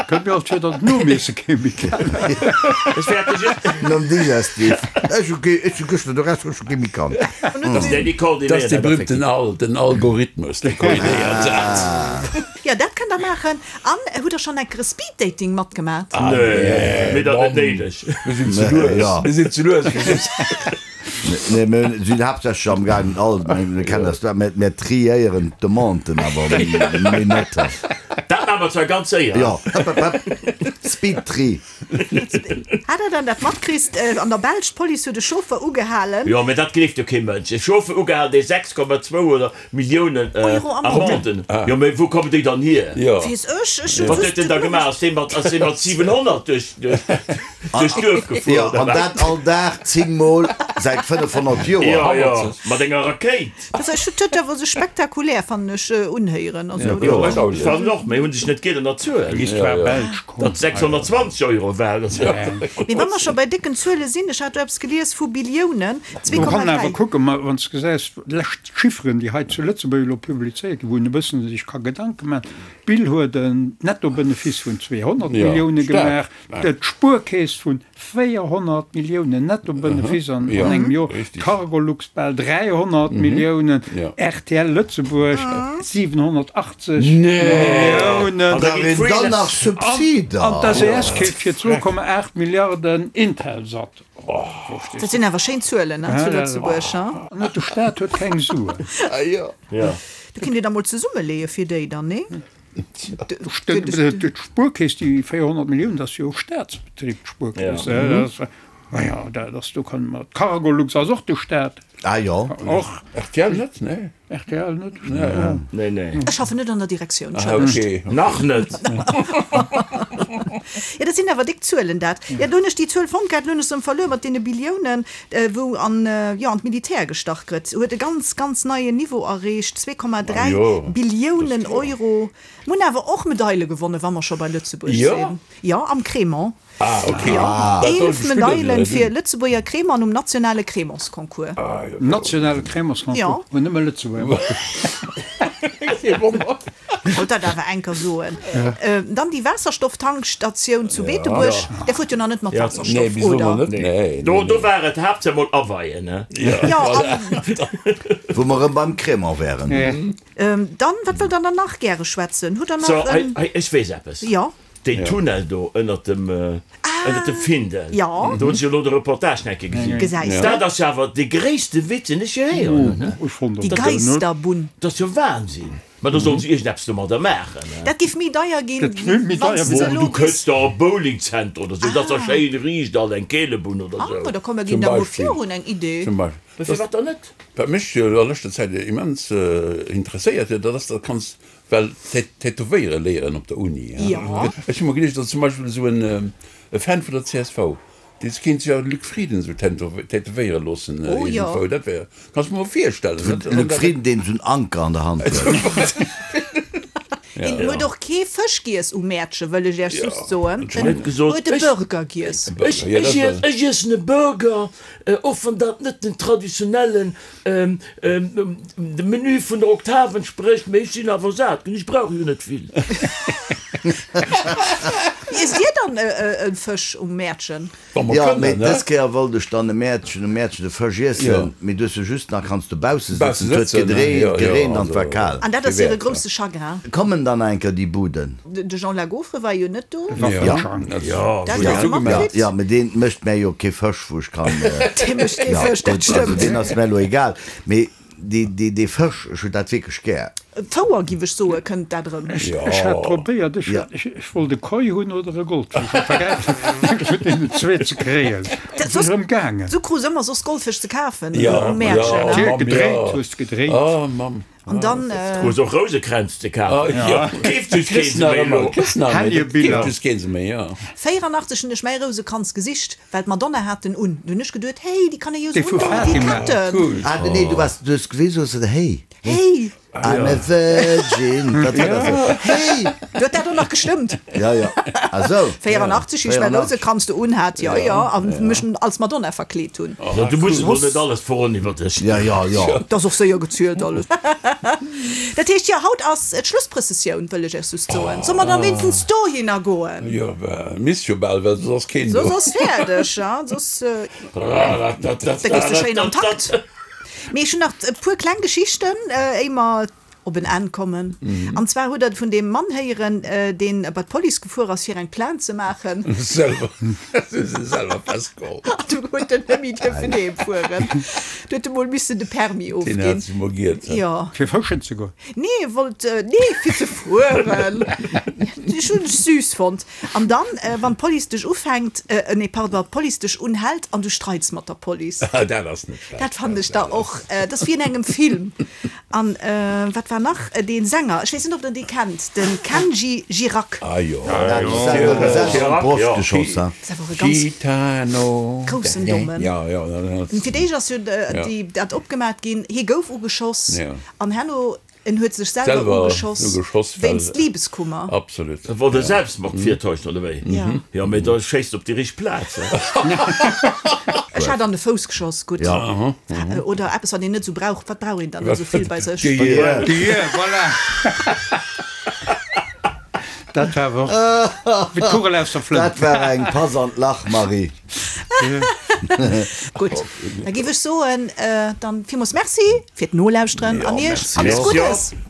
Kënnt mir alt vir, datt d'Nomiesse kee méi kennen. Ech wäerte just. Nom Digestif. Ech hu kee, ech hu gëschter de Restaurant, ech hu kee méi kannt. Dat ass dee berühmten Al, den Algorithmus, dee koordinéiert dat. Jo, dat kënnt der maachen. An hutt der schonn enker e Speed-Dating matgemat? Nee, mir dat net néideg. Mir sinn ze lues. Mir sinn ze lues fir soss. Nee, mir sinn haaptsächlech am gaangen all, mir kennen das, mir, mir triéieren d'Demanden awer méi net. Dat maache mer zwar ganz séier. Jo, hëpp, hëpp, hëpp, Speed-Tri. Hat der dann dat matkritt an der Belsch, d'Police huet e Chauffer ugehalen. Jo, mä dat gleeft jo kee Mënsch. E Chauffer ugehalen, dee sechs Komma zwou oder Milliounen Amenden. Jo, mä wou kommen déi dann hier? Weess ech, ech hunn Wat huet en da gemaach? Ass dee mat, ass dee mat siwenhonnert duerch, duerch d'Duerf gefuer Jo, oder an wat? dat all Dag zéng Mol säit fënnefhonnert Joer. Jo, jo, mat enger Rakéit. Also ech hunn d'huet awer sech spektakulär, fannen ech, unhéieren. Also, Jo, ech fannen och, mä hu sech net gier ënner Zuelen. Datt sechshonnertzwanzeg Euro war. Mee wa mer scho bei décken Zuele sinn, ech hat do eppes gelies vu Billiounen, zwee Komma dräi. Awer kucke mer, wann s de gesäis, d'lescht Chifferen, déi hei zu Lëtzebuerg elo publizéiert ginn, wou een e bëssen sech ka Gedanke maachen, D'Bill huet en Nettobenefice vun zweehonnert Millioune gemaach, d'Spuerkeess vun véierhonnert Milliounen Nettobenefice an engem Joer, d'Cargolux bal dräihonnert Milliounen, rtl Lëtzebuerg siwenhonnertachtzeg Milliounen an d'SES keeft fir zwou Komma aacht Milliarden Intelsat. Dat sinn awer schéin Zuelen zu Lëtzebuerg. An de Staat huet keng Suen. Do kinnt Dir da mol zesummeleeë fir déi dann, nee? D'Spuerkeess, déi véierhonnert Milliounen, dat ass jo e Staatsbetrib, d'Spuerkeess. Majo, dat ass, do kënne mer, d'Cargolux ass och de Staat. Ah jo. Och. Rtl net, nee. Rtl net, nee. Nee. Ech schaffen net an der Direktioun, Ah, okay. Nach net. Jo, dat sinn awer déck Zuelen, dat. Jo, do hunn ech déi Zuel fonnt gehat, elo hunn ech se erëm verluer, mat deene Billiounen, wou an, jo, an d'Militär gestach gëtt, huet e ganz, ganz neien Niveau erreecht, zwee Komma dräi Billiounen Euro. Mir hunn awer och Medaile gewonnen, wa mer scho bei Lëtzebuerg sinn. Jo, am Crémant. Ah, okay. Jo, eelef Medailen fir Lëtzebuerger Crémant um nationale Crémantsconcours. Nationale Crémantsconcours, wou nëmme Lëtzebuerger matgemaach Kee Wonner. Wollt dat awer enker soen. Dann déi Waasserstofftankstatioun zu Beetebuerg, där fuert jo nach net mat Waasserstoff, oder? Nee, Do, do war et haaptsächlech mol aweien, ne? Jo, an. Wou mer erëm beim Crémant wären. Dann, wat wëllt der dann nach gäre schwätzen? Hutt der nach So, hei, en. hei, ech weess eppes. Jo. Deen Tunnel do ënnert dem, ënnert dem Findel, Jo. do hunn ech jo elo de Reportage nach eng Kéier gesinn. Gesäis de. Dat ass jo awer dee gréisste Witz, deen ech je héieren hunn, ne? Déi Geisterbunn. Dat ass jo Wahnsinn. Mä do sollen se iergendeppes domadder maachen, ne? Dat géif méi deier ginn, wann s de elo Du kënns der e Bowlingzenter oder sou, dat ass da schéin riicht alt, eng Keelebunn oder sou. Ah, da komm, mer ginn der mol virun eng Idee. Zum Beispill. Mä firwat dann net? Wat mech a leschter Zäit immens interesséiert huet, dat ass, dat kanns well tätowéiere léieren op der Uni. Ech hu mer geduecht, datt zum Beispill esou en Fan vun der csv, Dee kéint sech jo Luc Frieden esou tätowéiere loossen iergendwou. Dat wär, kanns mer mol virstellen. Luc Frieden, deen esou en Anker an der Hand huet. Hien huet och kee Fësch giess um Mäertche, wëll ech Iech just soen. En huet e Burger giess. Ech iessen e Burger, och wann dat net den traditionellen dem Menü vun der Oktav entsprécht, mee ech sinn awer sat ginn, ech brauch jo net vill. Iesst Dir dann e Fësch um Mäertchen? Jo, mee dës Kéier wollt ech dann e Mäertchen um Mäertchen de Fësch iessen, mee du hues jo just nach kanns dobausse sëtzen, et huet gedreent, gereent an et war kal. An dat ass hire grousse Chagrin. Kommen dann nach eng Kéier déi Buden? De Jean Lagofre war jo net do. Jo, jo, mee dee mécht mär jo kee Fësch, wou ech kann. Dee mécht kee Fësch, dat stëmmt. Deen ass mär elo egal, mee dee, dee Fësch, ech hunn dat wierklech gär. Fouer, giff ech soen, kënnt dat erëm. Ech hat probéiert, ech ech wollt e Koi hunn oder e Goldfësch, et war gäil vun deenen zwee ze kréien. Et ass erëm gaangen. Du krus ëmmer soss Goldfësch ze kafen um Mäertchen, ne? Hues gedréit, hues gedréit. An dann. Krus och Rousekränz ze kafen. Keeft just keen se méi elo. Helljerbiller. Keeft just keen se méi, jo. véierandachtzeg hunn ech mäi Rousekranz gesicht, well d'Madonna hat en un. Du hunn ech geduet, hey, déi kann ee jo Déi esou vu undoen wéi Fatima, Ketten. cool. Ah nee, du waars, du hues gewisen, hues de, hey. Hey! I'm a virgin. Dat war dat esou. Hey! Du huet dat och nach gestëmmt. Ja, ja. Ah sou. véierandachtzeg, wéi ech mäi Rousekranz do unhat, jo, jo, a mech als Madonna verkleet hunn. Jo, du muss elo net alles verroden iwwer dech. Ja, ja, ja. Dat ass och séier gezielt alles. Dat heescht, jo, haut ass d'Schlussprëssessioun, wëll ech Iech just soen. Solle mer da wéinstens dohinner goen? Jo, misst jo bal, well soss ass keen do. Soss ass fäerdeg, ja, soss. Da gees de schéin am Takt. Mee ech hunn nach e puer kleng Geschichten, éier mer op en Enn kommen. An zwar hutt Der vun deem Mann héieren, deen bei d'Police gefuer ass, fir eng Plainte ze maachen. Selwer, hu se selwer festgeholl. An du huet en net méi dierfen heem fueren. Du huet e mol missen de Permis Deen hat ofginn. sech mol giert. Jo. Fir fëschen ze goen? Nee, e wollt, nee, fir ze fueren. Ech hunn ech süß fonnt. An dann, wann d'Police dech ufänkt, nee, pardon, d'Police dech unhält an du streits mat der Police. Dat ass net schlecht. Dat fannen ech da och, dat ass wéi an engem Film. An wat war nach, dee Sänger, ech weess net, ob der dee kennt, de Kenji Girac. Ah jo. Dat ass selwer an d'Broscht geschoss, ha? Dat ass awer e ganz Gitano. groussen Dommen. Ja, ja, dat ass. Fir d'éischt ass jo déi dat opgemat ginn, hie gouf ugeschoss an herno En huet sech selwer Selwer ugeschoss ugeschoss, well wéinst Liebeskummer. Absolut. Dat wor de Selbstmord virtäuscht, oder wéi? Ja. Jo, mee da schéisst op déi richteg Plaz, he? Ech hat an de Fouss geschoss, gutt. Ja. Oder eppes, wat een net esou brauch. Wat brauch een dann esou vill bei sech? D'Gehier. D'Gehier, voilà! Dat war awer och wéi d'Kugel aus der Flënt. Dat war eng Pass an d'Lach, Marie. Gutt, da géif ech soen, dann villmools Merci fir d'Nolauschteren an Iech alles Merci Guddes. och.